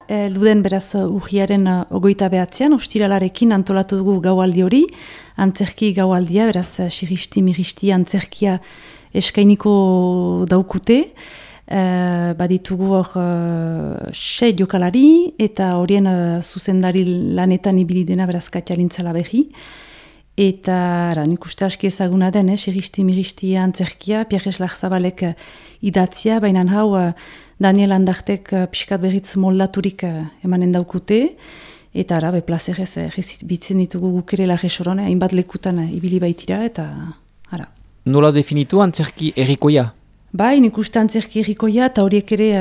duden beraz urriaren 29an, ostiralarekin antolatu dugu gaualdi hori, antzerki gaualdia, beraz siristi-miristi antzerkia eskainiko daukute, baditugu hor 6 jokalari, eta horien zuzendari lanetan ibili dena beraz Katialintzala berri. Eta nik uste aski ezaguna den, siristi-miristi antzerkia, Pierre Larzabalek idatzia, baina hau Daniel Andartek pixkat berriz moldaturik emanen daukute, eta ara, plazerez bitzen ditugu gukere Larresoron, hainbat lekutan ibili baitira, eta ara. Nola definitu antzerki errikoia? Bai, nik uste antzerki errikoia, eta horiek ere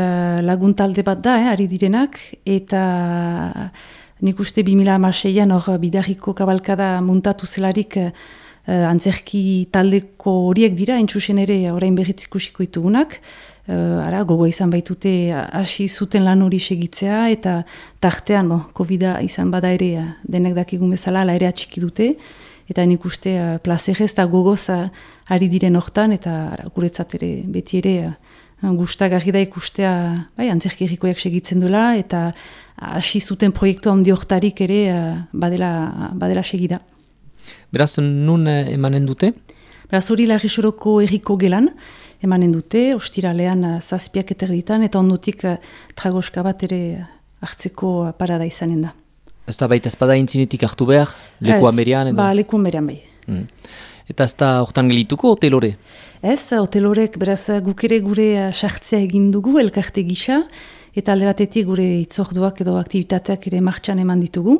laguntalde bat da, ari direnak, eta nik uste 2006an hor bidarriko kabalkada muntatu zelarik antzerki taldeko horiek dira, entzusen ere orain berriz ikusiko ditugunak, gogoa izan baitute hasi zuten lan hori segitzea, eta tartean, COVID-a izan bada ere denek dakigun bezala, ala ere atxiki dute, eta nik uste plazerez eta gogoz ari diren hortan, eta guretzat ere beti ere gustagarri da ikustea antzerki errikoiak segitzen duela, eta hasi zuten proiektu handi hortarik ere badela segida. Beraz, nun emanen dute? Beraz, hori Larresoroko erriko gelan emanen dute, ostiralean 7 eterditan, eta ondotik tragoska bat ere hartzeko parada izanen da. Ez da baita ezpada intzinetik hartu behar, lekuan berean? Ba, lekuan berean bai. Eta ez da hortan gelituko hotelore? Ez, hotelorek beraz guk ere gure sartzea egin dugu, elkarte gisa, eta alde batetik gure itzorduak edo aktivitateak ere martxan eman ditugu.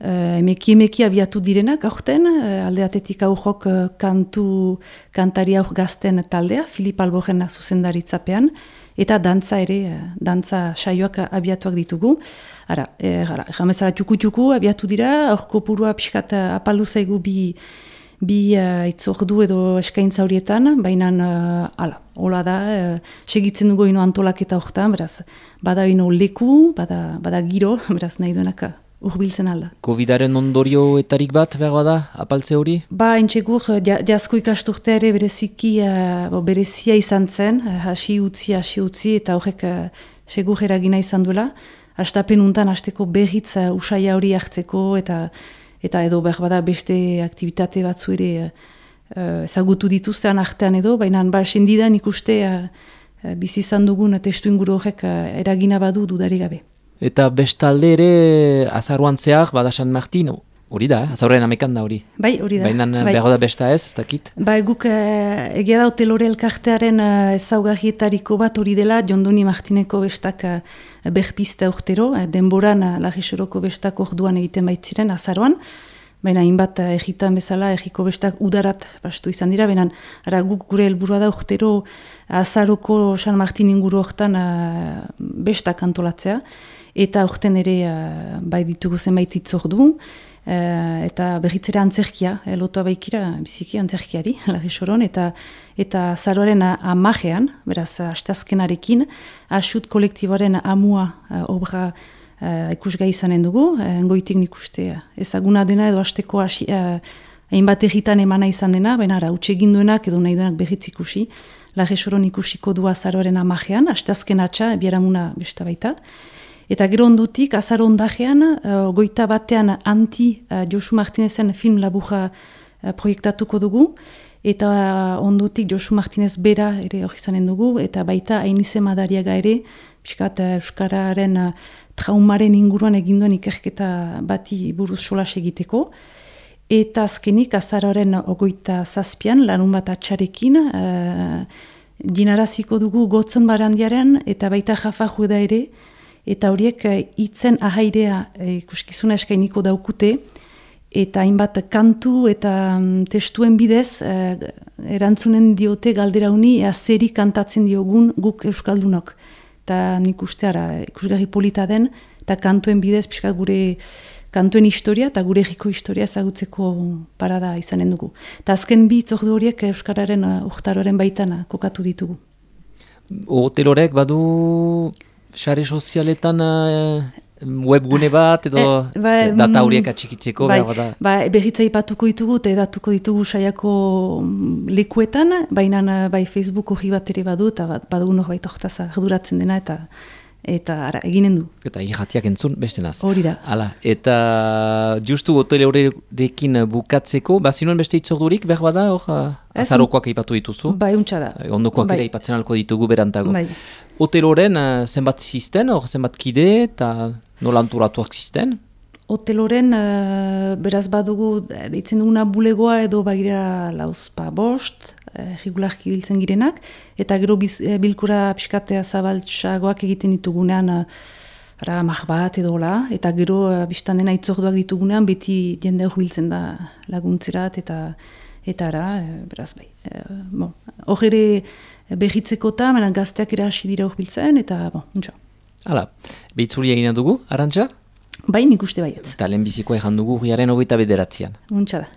Emeki abiatu direnak aurten, alde batetik aurrok kantari aur gazten taldea, Filip Alborren zuzendaritzapean, eta dantza ere, dantza saioak abiatuak ditugu. Jamezara txuku abiatu dira, aurko purua pixkat apaldu zaigu bi itzordu edo eskaintza horietan, baina hola da, segitzen dugu ino antolaketa horretan, beraz, bada ino leku, bada giro, beraz nahi duenak urbiltzen alda. Covidaren ondorioetarik bat behar bada, apaltze hori? Ba, entxegur, jazko ikasturtea ere berezia izan zen, hasi utzi, eta horrek segur eragina izan duela, hastapen untan hasteko berriz usaia hori hartzeko, eta edo behar bada beste aktivitate batzu ere ezagutu dituztean artean edo, baina sendidan ikuste bizi izan dugun testu inguru horrek eragina badu dudarik gabe. Eta bestalde ere azaruan zehar, bada San Martin, hori da, azaruen amekan da hori. Bai, hori da. Baina behar da besta ez dakit? Bai, guk egia da hotelore elkartearen ezaugarrietariko bat hori dela, Jondoni Martineko bestak berpiste urtero, denboran Larresoroko bestak orduan egiten baitziren azaroan, baina hainbat egitan bezala, egiko bestak udarat bastu izan dira, baina guk gure helburua da urtero azaroko San Martin inguru hortan bestak antolatzea, eta urten ere bai ditugu zenbait itzordu, eta berritzera antzerkia, lotua baikira biziki antzerkiari, Larresoron, eta zaroaren amajean, beraz, asteazkenarekin, asut kolektiboaren amua obra ikusgai izanen dugu, goitik nik uste ezaguna dena edo hasteko hainbat egitan emana izan dena, baina utsegin duenak edo nahi duenak berriz ikusi, Larresoron ikusiko du azaroaren amajean, asteazken atxa, bieramuna besta baita. Eta gero ondutik, azaro ondajean, goita batean Josu Martinezen film laburra proiektatuko dugu, eta ondutik Josu Martinez bera ere hori izanen dugu, eta baita Ainize Madariaga ere, piskat Euskararen traumaren inguruan eginduen ikerketa bati buruz solas egiteko, eta azkenik azaroaren 27an, larun bat atxarekin, dinaraziko dugu Gotzon Barandiaren, eta baita Jafa Jueda ere, eta horiek hitzen ahairea ikuskizuna eskainiko daukute, eta hainbat kantu eta testuen bidez erantzunen diote galdera honi zeri kantatzen diogun guk euskaldunok. Eta nik uste ikusgarri polita den, eta kantuen bidez pixka gure kantuen historia eta gure herriko historia ezagutzeko parada izanen dugu. Eta azken bi itzordu horiek euskararen urtaroren baitan kokatu ditugu. Hotelorek badu sare sozialetan webgune bat edo data horiek atxikitzeko? Berritza ipatuko ditugu eta edatuko ditugu saiako lekuetan, baina Facebook hori bat ere badu eta badugu norbait horretaz arduratzen dena eta eta ara, eginen du. Eta irratiak entzun beste naz. Hori da. Hala, eta justu hotele horrekin bukatzeko, bazinuen beste itzordurik, behar bada, hor, azarokoak aipatu dituzu? Bai, untsa da. Ondokoak ere aipatzen alko ditugu berantago. Bai. Hotel horren zenbat zisten, hor zenbat kide, eta nola antolatuak zisten? Hotel horren, beraz badugu, deitzen duguna bulegoa edo bagira lauzpa bost, regularki biltzen girenak, eta gero bilkura pixkatea zabaltsagoak egiten ditugunean, amak bat edo la, eta gero biztan dena itzorduak ditugunean, beti jende hori biltzen da laguntzerat, eta ara, beraz bai. Hor ere behitzeko eta, gazteak ere hasi dira hori biltzen, eta untsa. Hala, behitzuri egina dugu, Arantxa? Bai, nik uste baiet. Eta lehenbizikoa egin dugu, urriaren 29. Untsa da.